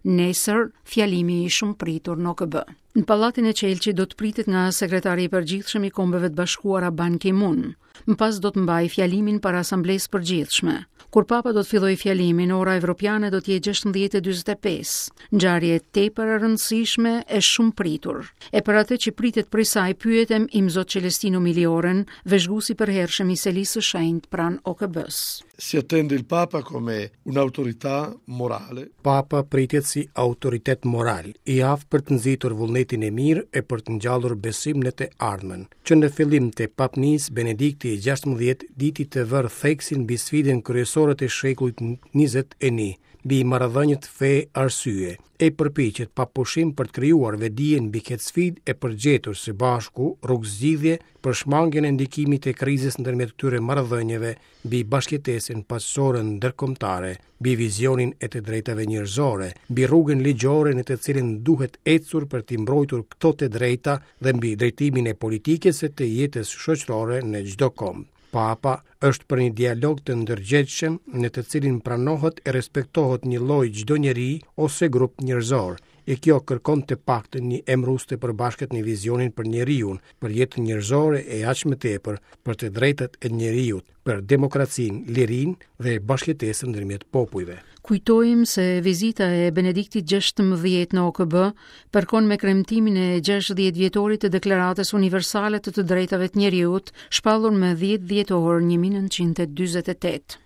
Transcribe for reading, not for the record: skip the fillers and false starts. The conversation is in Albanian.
Nesër, fjalimi i shumëpritur në OKB. Në Pallatin e Qelqit do të pritet nga sekretari i përgjithshëm i Kombeve të Bashkuara Ban Ki-moon. Më pas do të mbajë fjalimin para Asamblesë së Përgjithshme. Kur Papa do të fillojë fjalimin, ora evropiane do të jetë 16:45. Ngjarje tepër e rëndësishme e shumëpritur. E për atë që pritet prej saj pyetëm Imzot Celestino Milioren, vëzhgues i përhershëm i Selisë së Shenjtë pranë OKB-së. Si attende il Papa come un'autorità morale. Papa pritet si autoritet moral, i aftë për të nxitur vullnetin e mirë e për të ngjallur besim në të ardhmen. Që në fillim të papnisë, Benedikti i 16 diti të vërë theksin mbi sfidën kryesore të shekullit 21, mbi marrëdhëniet fe-arsye, e përpiqet pa pushim për të krijuar vetëdijen mbi këtë sfidë e për të gjetur së bashku rrugëzgjidhje për shmangien e ndikimit të krizës ndërmjet këtyre marrëdhënieve mbi bashkëjetesën paqësore ndërkombëtare, mbi vizionin e të drejtave njerëzore, mbi rrugën ligjore në të cilën duhet ecur për t'i mbrojtur këto të drejta dhe mbi drejtimin e politikës e të jetës shoqërore në çdo komb. Papa është për një dialog të ndërgjegjshëm në të cilin pranohet e respektohet njëlloj çdo njeri ose grup njerëzor, e kjo kërkon të paktën një emërues të përbashkët në vizionin për njeriun, për jetën njerëzore e aq më tepër për të drejtat e njeriut, për demokracinë, lirinë dhe bashkëjetesën ndërmjet popujve. Kujtojmë se vizita e Benediktit XVI në OKB përkon me kremtimin e 60 vjetorit të Deklaratës Universale të të Drejtave të Njeriut, shpallur më 10 dhjetor 1948.